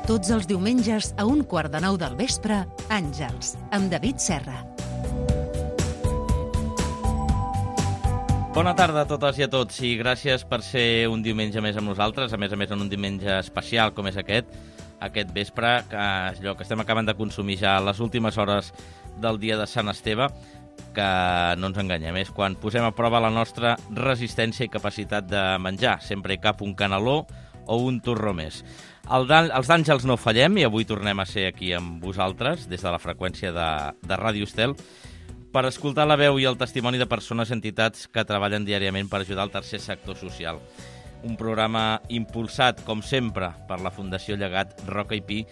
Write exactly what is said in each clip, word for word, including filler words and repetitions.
Tots els diumenges a un quart de nou del vespre, Àngels, amb David Serra. Bona tarda a totes i a tots i gràcies per ser un diumenge més amb nosaltres, a més a més en un diumenge especial com és aquest, aquest vespre, que és allò que estem acabant de consumir ja a les últimes hores del dia de Sant Esteve, que no ens enganyem, és quan posem a prova la nostra resistència i capacitat de menjar. Sempre hi cap un caneló o un torró més. El els d'Àngels no fallem i avui tornem a ser aquí amb vosaltres, des de la freqüència de, de Ràdio Estel, per escoltar la veu i el testimoni de persones i entitats que treballen diàriament per ajudar el tercer sector social. Un programa impulsat, com sempre, per la Fundació Llegat Roca i Pi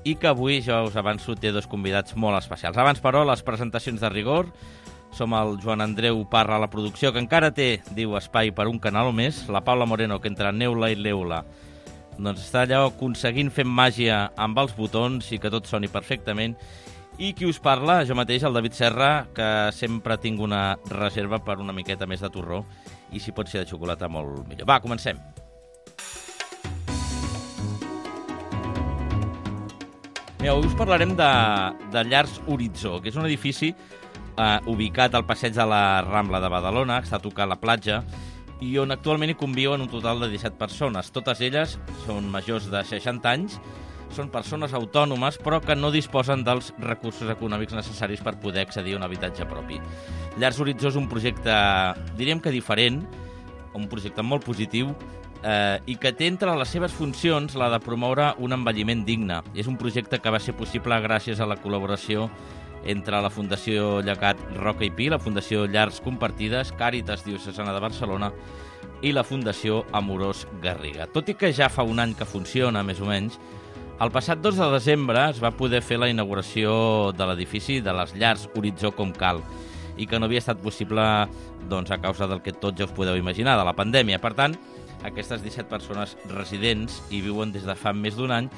i que avui, ja us avanço, té dos convidats molt especials. Abans, però, les presentacions de rigor. Som el Joan Andreu Parra a la producció, que encara té, diu, espai per un canal o més. La Paula Moreno, que entre neula i leula doncs està allò aconseguint fer màgia amb els botons i que tot soni perfectament. I qui us parla, jo mateix, el David Serra, que sempre tinc una reserva per una miqueta més de torró i si pot ser de xocolata molt millor. Va, comencem. Mira, avui us parlarem de, de Llars Horitzó, que és un edifici eh, ubicat al passeig de la Rambla de Badalona, que està a tocar la platja, i on actualment hi conviuen un total de disset persones. Totes elles són majors de seixanta anys, són persones autònomes, però que no disposen dels recursos econòmics necessaris per poder accedir a un habitatge propi. Llars Horitzó és un projecte, diríem que diferent, un projecte molt positiu, eh, i que té entre les seves funcions la de promoure un envelliment digne. És un projecte que va ser possible gràcies a la col·laboració entre la Fundació Llegat Roca i Pi, la Fundació Llars Compartides, Càritas Diocesana de Barcelona i la Fundació Amorós Garriga. Tot i que ja fa un any que funciona, més o menys, el passat dos de desembre es va poder fer la inauguració de l'edifici de les Llars Horitzó com cal i que no havia estat possible doncs, a causa del que tots ja us podeu imaginar, de la pandèmia. Per tant, aquestes disset persones residents hi viuen des de fa més d'un any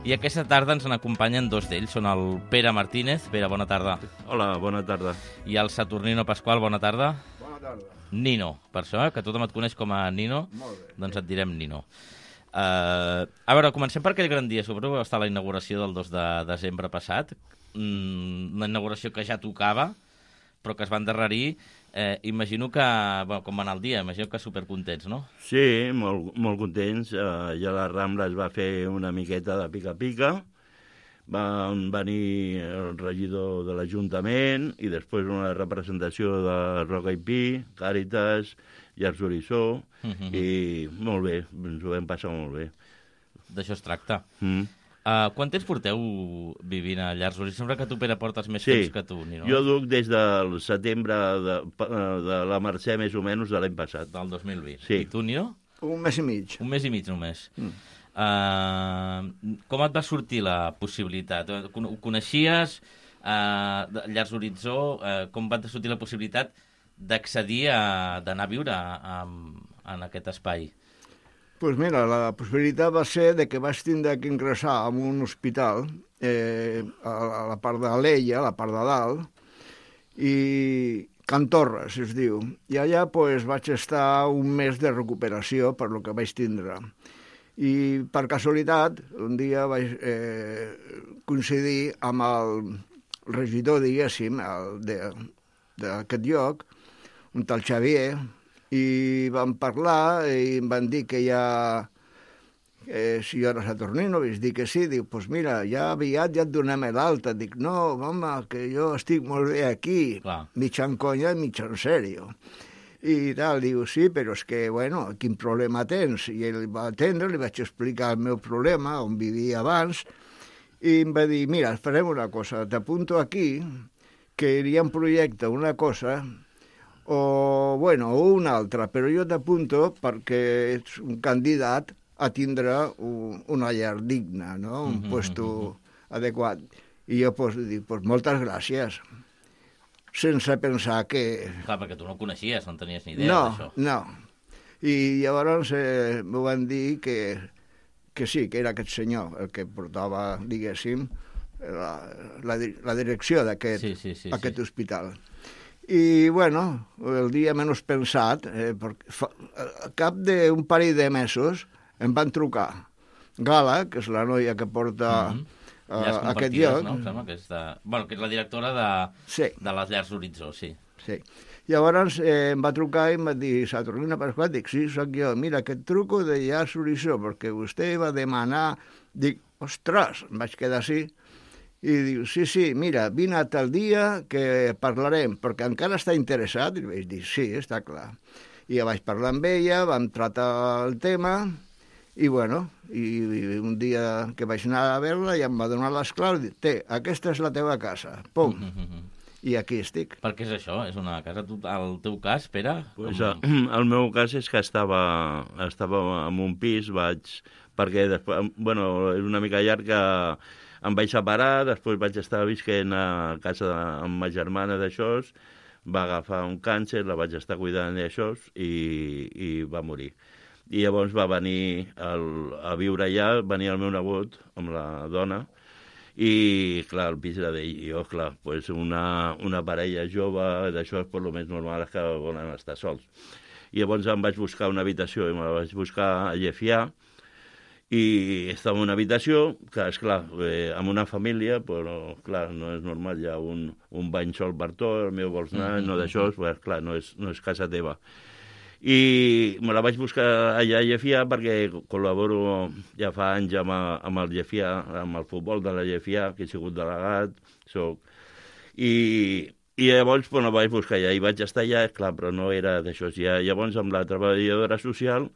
i aquesta tarda ens n'acompanyen dos d'ells. Són el Pere Martínez. Pere, bona tarda. Hola, bona tarda. I el Saturnino Pasqual, bona tarda. Bona tarda. Nino, per això, eh, que tothom et coneix com a Nino, Molt bé. doncs et direm Nino. Uh, a veure, comencem per aquell gran dia. Suposo que va estar la inauguració del dos de desembre passat. Mm, una inauguració que ja tocava, però que es va endarrerir. Eh, imagino que, bueno, com va anar el dia, imagino que supercontents, no? Sí, molt, molt contents. Uh, ja la Rambla es va fer una miqueta de pica-pica. Van venir el regidor de l'Ajuntament i després una representació de Roca i Pi, Càritas, Llars Horitzó, uh-huh. I molt bé, ens ho vam passar molt bé. D'això es tracta. Mm. Uh, quant temps porteu vivint a Llars Horitzó? Sembla que tu, Pere, portes més sí. temps que tu, Nino. Jo duc des del setembre de, de la Mercè, més o menys, de l'any passat. Del dos mil vint. Sí. I tu, Nino? Un mes i mig. Un mes i mig només. Mm. Uh, com et va sortir la possibilitat? Ho coneixies, uh, Llars Horitzó, uh, com va sortir la possibilitat d'accedir a d'anar a viure a, a, en aquest espai? Pues mira, la possibilitat va ser de que vaig tindre que ingressar en un hospital eh, a, a la part de l'Ella, a la part de dalt, i Can Torres, es diu. I allà pues, vaig estar un mes de recuperació per lo que vaig tindre. I per casualitat, un dia vaig eh, coincidir amb el regidor, diguéssim, d'aquest lloc, un tal Xavier, i vam parlar i em van dir que ja, eh, si jo era Saturnino, vaig dir que sí, dic, doncs pues mira, ja aviat ja et donem l'alta. Dic, no, home, que jo estic molt bé aquí, Clar. mitja en conya i mitja en sèrio. I tal, diu, sí, però és que, bueno, quin problema tens? I ell va atendre, li vaig explicar el meu problema, on vivia abans, i em va dir, mira, farem una cosa, t'apunto aquí, que hi ha un projecte, una cosa, o, bueno, o una altra, però jo t'apunto perquè ets un candidat a tindre un, una llar digna, no? Un puesto adequat. I jo, pues, dic, pues, moltes gràcies. Sense pensar que... Clar, perquè tu no coneixies, no en tenies ni idea no, d'això. No, I llavors eh, m'ho van dir que, que sí, que era aquest senyor el que portava, diguéssim, la, la, la direcció d'aquest sí, sí, sí, aquest sí. hospital. I, bueno, el dia menys pensat, eh, perquè fa, a cap d'un parell de mesos em van trucar. Gala, que és la noia que porta Mhm. uh, Llars aquest compartides, lloc. no? Em sembla que és, de... bueno, que és la directora de, Sí. de les Llars Horitzó, sí. Sí. Llavors eh, em va trucar i em va dir, Saturnina Pasqual, dic, sí, sóc jo, mira, que et truco de Llars Horitzó, perquè vostè va demanar, dic, ostres, em vaig quedar així, i diu, sí, sí, mira, vine a tal dia que parlarem, perquè encara està interessat, i vaig dir, sí, està clar. I ja vaig parlar amb ella, vam tractar el tema, i bueno, i, i un dia que vaig anar a veure-la ja em va donar les claus, i dic, té, aquesta és la teva casa, pum, Mm -hmm. i aquí estic. Per què és això? És una casa... Tu, el teu cas, Pere? Pues, Com- uh, el meu cas és que estava, estava en un pis, vaig... Perquè després, bueno, és una mica llarg que em vaig separar, després vaig estar visquent a casa de, amb ma germana d'això, va agafar un càncer, la vaig estar cuidant d'això i, i va morir. I llavors va venir el, a viure allà, venia el meu nebot amb la dona, i, clar, el pis era d'ell, i jo, clar, pues una, una parella jove d'això, per lo més normal és que volen estar sols. I llavors em vaig buscar una habitació, i me la vaig buscar a Llefià, i estava en una habitació, que, esclar, eh, amb una família, però, clar, no és normal, hi ha un, un bany sol per tot, el meu vols anar, mm -hmm. no d'això, pues, clar, no és, no és casa teva. I me la vaig buscar allà a Llefià perquè col·laboro ja fa anys amb, amb el Llefià, amb el futbol de la Llefià, que he sigut delegat, soc... I, i llavors bueno, vaig buscar allà i vaig estar allà, clar, però no era d'això. Ja, llavors amb la treballadora social,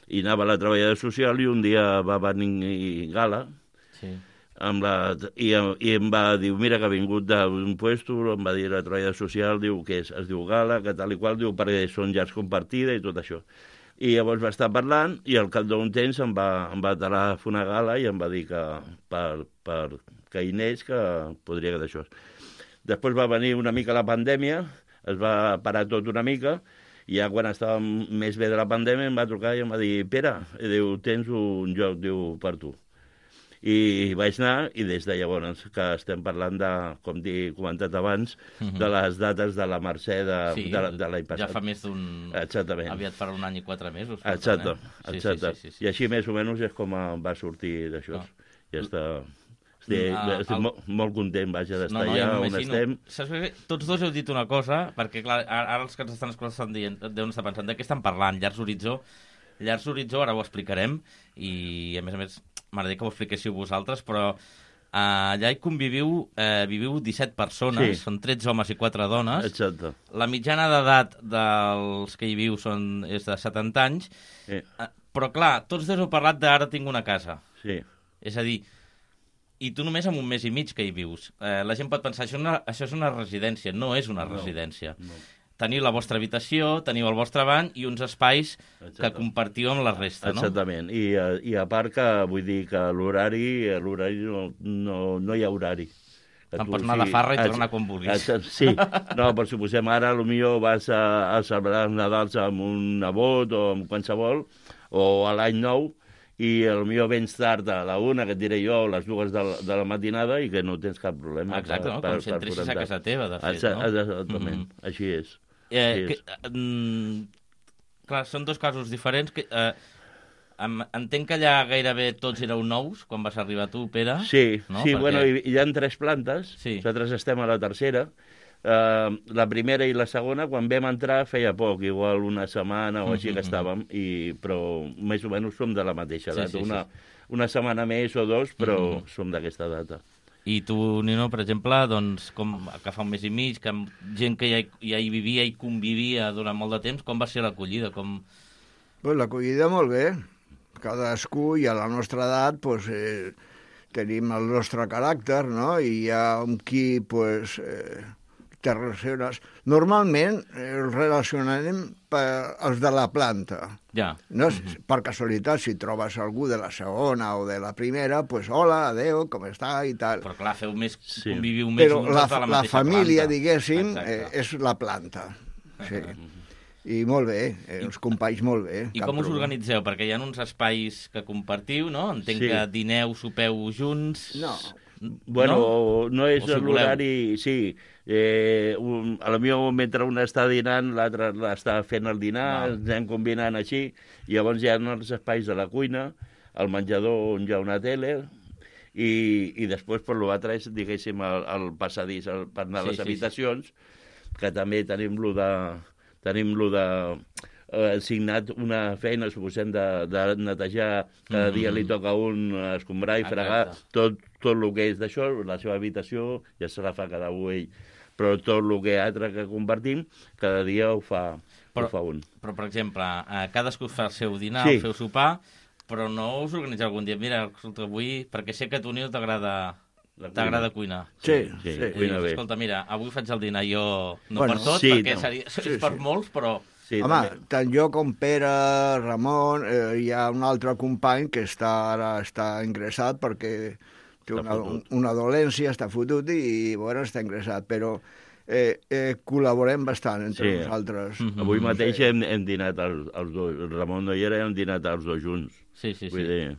i anava a la treballadora social i un dia va venir Gala, Sí. amb la, i, i em va dir, mira que ha vingut d'un puesto, em va dir la treballadora social, diu que és, es diu Gala, que tal i qual, diu perquè són llars compartides i tot això. I llavors va estar parlant i al cap d'un temps em va, em va telefonar Gala i em va dir que per, per que hi anés, que podria que d'això. Després va venir una mica la pandèmia, es va parar tot una mica, i ja quan estàvem més bé de la pandèmia em va trucar i em va dir, Pere, diu, tens un lloc, diu, per tu. I vaig anar, i des de llavors que estem parlant de, com he comentat abans, Mhm. de les dates de la Mercè de, Sí, de, de l'any passat. ja fa més d'un... Exactament. Aviat farà un any i quatre mesos. per Exacte, tant, eh? Sí, exacte. Sí, sí, sí, sí. I així més o menys és com va sortir d'això. Ah. Ja està... Estic, Ah, estic el- molt, molt content, vaja, d'estar ja allà on m'imagino. estem. Saps què? Tots dos heu dit una cosa, perquè clar, ara els que ens estan escoltant estan dient, deuen estar pensant, de què estan parlant? Llars Horitzó? Llars Horitzó, ara ho explicarem, i a més a més m'agradaria que ho expliquéssiu vosaltres, però eh, allà hi conviviu, eh, viviu disset persones, Sí. són tretze homes i quatre dones. Exacte. La mitjana d'edat dels que hi viu són, és de setanta anys, Sí, eh, però clar, tots dos heu parlat d'ara tinc una casa. sí. És a dir, i tu només amb un mes i mig que hi vius. Eh, la gent pot pensar, això, una, això és una residència. No és una No, residència. no. Teniu la vostra habitació, teniu el vostre bany i uns espais Exacte. que compartiu amb la resta, no? Exactament. I, a- I a part que vull dir que l'horari, l'horari no, no, no hi ha horari. Que Te'n tu, pots anar de farra i ex- tornar quan vulguis. ex- Sí, no, però suposem ara potser vas a, a celebrar els Nadals amb un nebot o amb qualsevol, o a l'any nou, i potser vens tard a la una, que et diré jo, a les dues de la, de la matinada, i que no tens cap problema. Exacte, no? Com si entressis a casa teva, de fet, Exacte, no? Exactament, Mhm. així és. Eh, Sí, que, mm, clar, són dos casos diferents. Que, eh, em, entenc que allà gairebé tots éreu nous quan vas arribar tu, Pere. Sí, no? sí, Perquè- bueno, hi, hi ha tres plantes, Sí. nosaltres estem a la tercera. Uh, la primera i la segona, quan vam entrar, feia poc, igual una setmana o així Mhm, que estàvem, i, però més o menys som de la mateixa Sí, data. sí, sí. una, una setmana més o dos, però Mhm. som d'aquesta data. I tu, Nino, per exemple, doncs, com que fa un mes i mig, que amb gent que ja hi, ja hi vivia i convivia durant molt de temps, com va ser l'acollida? Com... Pues l'acollida molt bé. Cadascú i a la nostra edat pues, eh, tenim el nostre caràcter, no? I hi ha amb qui pues, eh, te relaciones. Normalment eh, els relacionarem per els de la planta. Ja. No? Mm-hmm. Per casualitat, si trobes algú de la segona o de la primera, pues hola, adeu, com està i tal. Però clar, feu més, Sí. conviviu més Però junts la, de la la mateixa família, planta. diguéssim, eh, Exacte. és la planta. Sí. I molt bé, eh, els companys molt bé. I cap com us problema. organitzeu? Perquè hi ha uns espais que compartiu, no? Entenc Sí. que dineu, sopeu junts... No. Bueno, no, no és O si l'horari... Sí, eh, un, a la millor mentre un està dinant, l'altre està fent el dinar, Val. ens anem combinant així, i llavors hi ha els espais de la cuina, el menjador on hi ha una tele, i, i després per l'altre és, diguéssim, el, el passadís el, per anar a les Sí, sí, habitacions, que també tenim lo de... Tenim lo de eh, signat una feina, suposem, de, de netejar, cada dia li toca a un escombrar i fregar, tot, tot el que és d'això, la seva habitació ja se la fa cada un ell, però tot el que altre que compartim, cada dia ho fa, però, ho fa un. Però, per exemple, eh, cadascú fa el seu dinar, Sí. el seu sopar, però no us organitzeu algun dia, mira, escolta, avui, perquè sé que a tu, Nil, t'agrada t'agrada cuinar. Sí, Sí, sí. I cuina dius, bé. escolta, mira, avui faig el dinar jo, no Bueno, per tot, sí, perquè no. seria, Sí, és per sí. molts, però... Sí, Home, també. tant jo com Pere, Ramon, eh, hi ha un altre company que està ara està ingressat perquè té Està una, fotut. una dolència, està fotut i, bueno, està ingressat, però eh, eh, col·laborem bastant entre Sí. nosaltres. Mm. Avui mateix Sí. hem, hem dinat els, els dos. El Ramon no hi era, hem dinat els dos junts. Sí, sí, sí. Vull dir,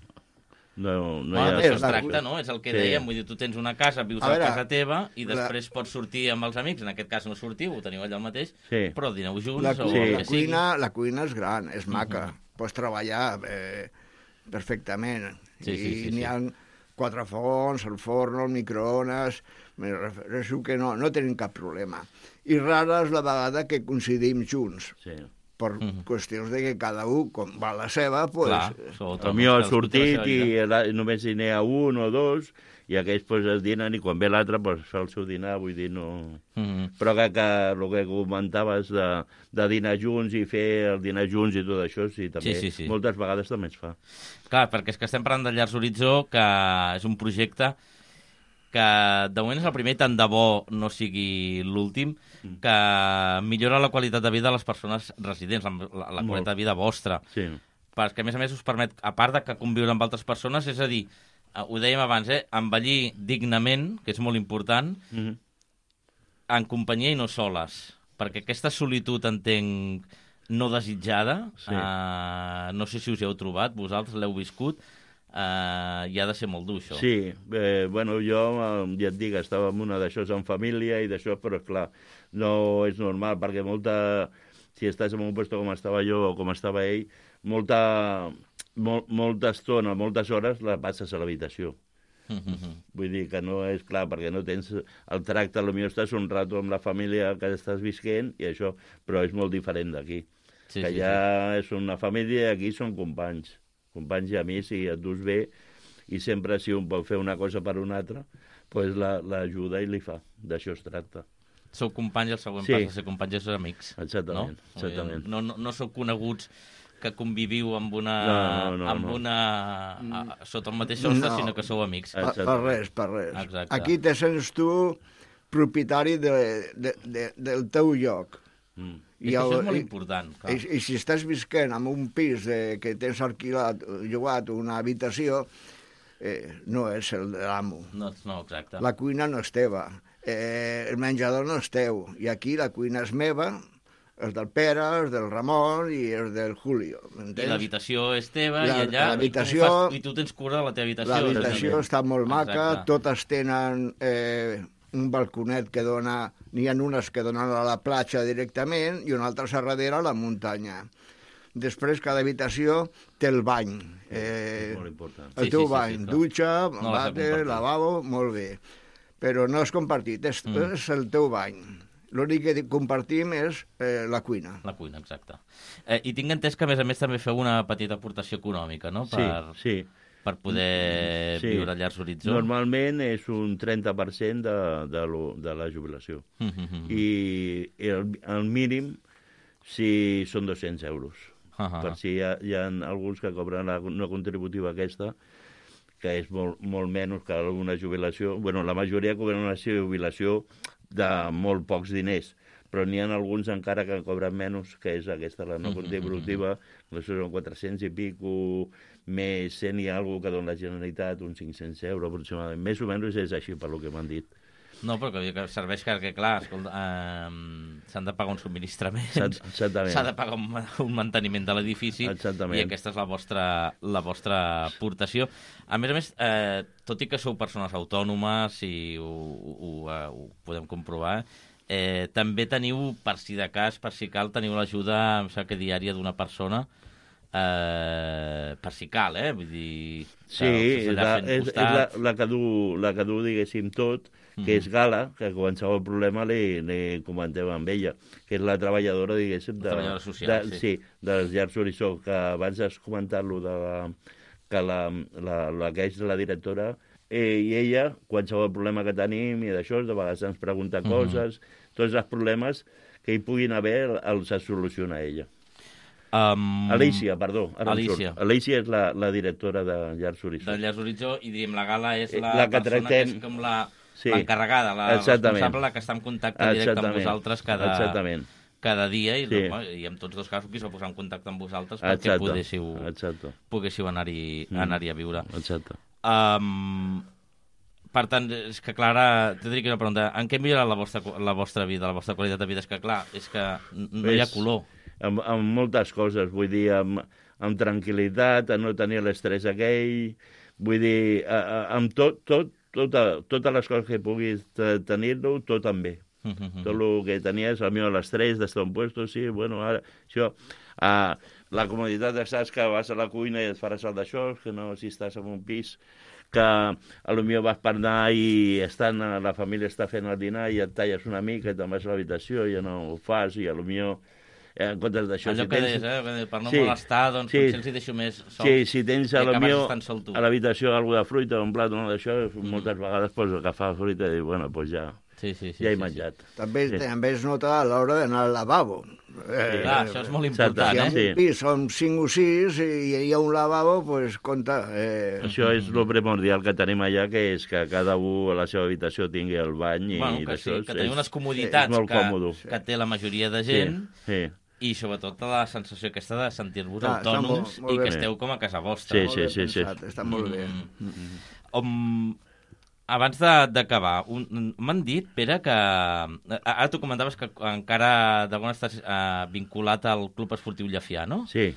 no, no Bueno, hi ha... d'això és es la- tracta, no? És el que Sí. dèiem, vull dir, tu tens una casa, vius A a, veure, casa teva i la- després pots sortir amb els amics, en aquest cas no sortiu, ho teniu allà al mateix, Sí. però dineu junts La, o cu Sí. el la, que sigui. cuina, la cuina és gran, és maca, pots treballar eh, perfectament. Sí, I sí, sí, n'hi sí. ha quatre fogons, el forn, el microones, me refereixo que no, no tenim cap problema. I rara és la vegada que coincidim junts, Sí. per Mhm. qüestions de que cada un, com va a la seva, pues, Clar, sobretot El meu ha cadascú té la sortit seva i vida. la, només hi n'hi ha un o dos, i aquells pues, es dinen, i quan ve l'altre pues, fa el seu dinar, vull dir, no... Mhm. Però que, que el que comentaves de, de dinar junts i fer el dinar junts i tot això, sí, també, Sí, sí, sí. moltes vegades també es fa. Clar, perquè és que estem parlant de Llars Horitzó, que és un projecte que de moment és el primer, tant de bo no sigui l'últim, que millora la qualitat de vida de les persones residents, la, la, la Molt. qualitat de vida vostra. Sí, Perquè, a més a més, us permet, a part de que conviure amb altres persones, és a dir, eh, ho dèiem abans, eh, envellir dignament, que és molt important, mm -hmm. en companyia i no soles. Perquè aquesta solitud, entenc, no desitjada, Sí. eh, no sé si us hi heu trobat, vosaltres l'heu viscut, eh, i ha de ser molt dur, això. Sí, eh, bueno, jo eh, ja et dic, estava en una d'això en família i d'això, però clar, no és normal, perquè molta, si estàs en un lloc com estava jo o com estava ell, molta, mol, molta estona, moltes hores la passes a l'habitació. Mhm. Vull dir que no és clar, perquè no tens el tracte, potser estàs un rato amb la família que estàs visquent i això, però és molt diferent d'aquí. Sí, que sí, allà és una família i aquí són companys, companys i amics, i et dus bé, i sempre si un pot fer una cosa per un altre, pues l'ajuda i li fa. D'això es tracta. Sou companys, el següent Sí. pas de ser companys és ser amics. Exactament, no? exactament. No, no, no sou coneguts que conviviu amb una, No, no, no, amb no. una a, sota el mateix sostre, No. sinó que sou amics. Ah. Per, per res, per res. Exacte. Aquí te sents tu propietari de, de, de, del teu lloc. Mm. És que això és molt important. Clar. I, I si estàs visquent en un pis de, que tens alquilat, llogat una habitació, eh, no és el de l'amo. No, no, exacte. La cuina no és teva, eh, el menjador no és teu, i aquí la cuina és meva, és del Pere, és del Ramon i és del Julio, I m'entens? l'habitació és teva, La- i allà... l'habitació- I, tu fas, I tu tens cura de la teva habitació. L'habitació és a dir, està molt maca, Exacte. totes tenen eh, un balconet que dona... N'hi ha unes que donen a la platja directament i una altra a darrere a la muntanya. Després, cada habitació té el bany. Eh, És molt important. el Sí, teu sí, sí, bany, sí, clar. dutxa, No l'has de vàter, compartir. lavabo, molt bé. Però no és compartit, és, Mm. és el teu bany. L'únic que compartim és eh, la cuina. La cuina, exacte. Eh, I tinc entès que, a més a més, també feu una petita aportació econòmica, no?, per, Sí, sí. per poder Sí. viure a Llars Horitzó. Normalment és un trenta per cent de, de, lo, de la jubilació. Mm -hmm. I el, el mínim si són dos-cents euros. Ah, Per si hi ha, hi ha alguns que cobren la no contributiva aquesta, que és molt, molt menys que una jubilació. Bueno, la majoria cobren una jubilació de molt pocs diners, però n'hi ha alguns encara que cobren menys, que és aquesta, la no contributiva, que són quatre-cents i pico, més cent i alguna que dona la Generalitat, uns cinc-cents euros aproximadament. Més o menys és així, per lo que m'han dit. No, però que, que serveix que, que clar, escolta, eh, s'han de pagar un subministrament, Exactament. s'ha de pagar un, un manteniment de l'edifici, Exactament. i aquesta és la vostra, la vostra aportació. A més a més, eh, tot i que sou persones autònomes, i ho, ho, ho, ho podem comprovar, eh, també teniu, per si de cas, per si cal, teniu l'ajuda, em sembla que diària d'una persona, eh, per si cal, eh? Vull dir... Sí, és, la, és, és la, la, que du, la que du, diguéssim, tot, que mm. és Gala, que qualsevol problema li, li comentem amb ella, que és la treballadora, diguéssim, de, treballadora social, de, sí. sí, dels Llars Horitzó, que abans has comentat-lo de la, que la, la, la que és la directora, eh, i ella, qualsevol problema que tenim i d'això, de vegades ens pregunta coses, mm-hmm. tots els problemes que hi puguin haver els soluciona ella. Um, Alícia, perdó. Alícia. Alícia és la, la directora de Llars Horitzó. De Llars Horitzó, i diríem, la Gala és la, la que persona tractem... que és com la, sí. l'encarregada, la Exactament. responsable, la que està en contacte directe Exactament. amb vosaltres cada, Exactament. cada dia, i, sí. no, i en tots dos casos qui s'ha posat en contacte amb vosaltres Exacte. perquè podéssiu, Exacte. poguéssiu anar-hi mm. anar a viure. Exacte. Um, per tant, és que, Clara, t'he de dir que una pregunta. En què millora la vostra, la vostra vida, la vostra qualitat de vida? És que, clar, és que no hi ha color. Amb, amb moltes coses, vull dir, amb, amb tranquil·litat, a no tenir l'estrès aquell, vull dir, a, a, amb tot, tot, tota, totes les coses que puguis tenir-lo, tot també. Mm-hmm. Tot el que tenies, el meu l'estrès d'estar en puesto, sí, bueno, ara, això... Uh, la comoditat de saps que vas a la cuina i et faràs el d'això, que no si estàs en un pis que a lo millor vas per anar i estan, la família està fent el dinar i et talles una mica i te'n vas a l'habitació i ja no ho fas i a lo millor eh, en comptes d'això... Allò si que tens... deies, eh? Per no sí, molestar, doncs sí, potser els hi deixo més sols. Sí, si tens a lo millor a l'habitació alguna de fruita o un plat o no d'això, mm. moltes vegades pots agafar fruita i dir, bueno, doncs ja... Sí, sí, sí, ja he sí, menjat. Sí. També, sí. també es nota a l'hora d'anar al lavabo. Eh, Clar, això és molt important, si eh? Si en un pis són cinc o sis i hi ha un lavabo, doncs pues, compta. Eh... Això és el primordial que tenim allà, que és que cada un a la seva habitació tingui el bany. Bueno, i que sí, que teniu és, unes comoditats sí, que, que té la majoria de gent, sí, sí. i sobretot la sensació aquesta de sentir-vos ah, autònoms molt, molt i que bé. Esteu com a casa vostra. Sí, sí, sí, sí. Està molt bé. Mm -hmm. um, abans d'acabar, m'han dit, Pere, que... Ara tu comentaves que encara d'alguna estàs uh, vinculat al Club Esportiu Llefià, no? Sí.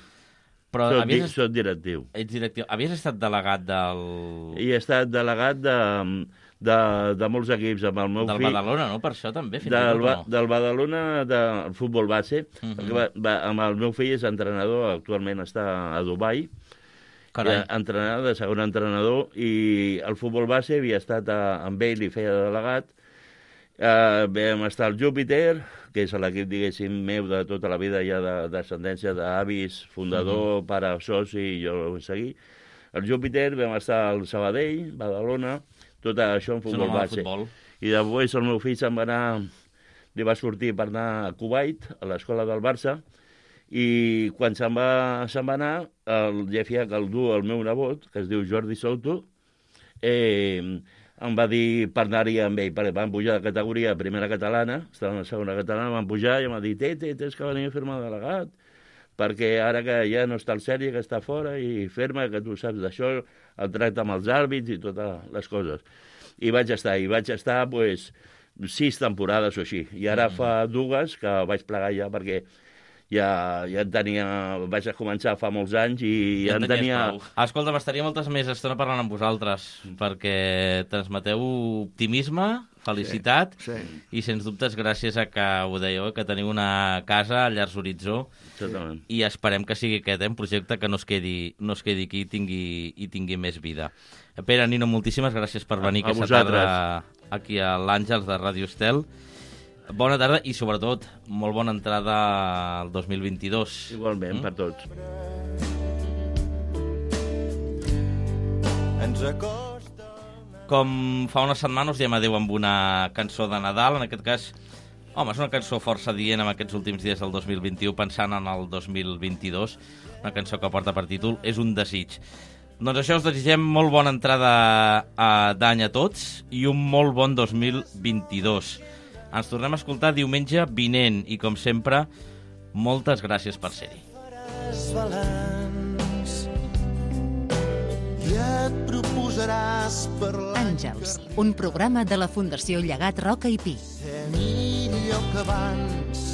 Però soc, havies... soc directiu. Ets directiu. Havies estat delegat del... I he estat delegat de... De, de molts equips, amb el meu del fill... Del Badalona, no? Per això també, fins del, i tot, no? Del Badalona, del futbol base. Uh Mhm. -huh. va, va, amb el meu fill és entrenador, actualment està a Dubai. Carai. Entrenador, de segon entrenador, i el futbol base havia estat a, amb ell i feia de delegat. Uh, vam estar al Júpiter, que és l'equip, diguéssim, meu de tota la vida, ja de descendència d'avis, fundador, uh -huh. pare, soci, i jo ho vaig seguir. Al Júpiter vam estar al Sabadell, Badalona, tot això en futbol base. Futbol. I després el meu fill se'n va anar, li va sortir per anar a Kuwait, a l'escola del Barça, i quan se'n va, se'n va anar, el Llefià, que el du el meu nebot, que es diu Jordi Souto, eh, em va dir per anar-hi amb ell, perquè van pujar de categoria a primera catalana, estaven a segona catalana, van pujar i em va dir, té, té, tens que venir a fer-me delegat, perquè ara que ja no està el Sergi, que està fora, i fer-me, que tu saps d'això, el tracte amb els àrbits i totes les coses. I vaig estar, i vaig estar, pues, sis temporades o així. I ara mm. fa dues que vaig plegar ja, perquè ja, ja en tenia... Vaig a començar fa molts anys i ja, ja en tenia... Prou. Escolta, m'estaria moltes més estona parlant amb vosaltres, perquè transmeteu optimisme, felicitat, sí, sí. i sens dubtes gràcies a que ho dèieu, que teniu una casa a Llars Horitzó, Totalment. I esperem que sigui aquest, eh, un projecte que no es quedi, no es quedi aquí i tingui, i tingui més vida. Pere, Nino, moltíssimes gràcies per venir a, a aquesta tarda aquí a l'Àngels de Ràdio Estel. Bona tarda i, sobretot, molt bona entrada al dos mil vint-i-dos. Igualment, mm? per tots. Ens acosta... Com fa una setmana us diem adéu amb una cançó de Nadal, en aquest cas... Home, és una cançó força dient en aquests últims dies del dos mil vint-i-u, pensant en el dos mil vint-i-dos, una cançó que porta per títol És un desig. Doncs això, us desitgem molt bona entrada d'any a tots i un molt bon dos mil vint-i-dos. Ens tornem a escoltar diumenge vinent i, com sempre, moltes gràcies per ser-hi. I et proposaràs parlar... Àngels, un programa de la Fundació Llegat Roca i Pi. Ser millor que abans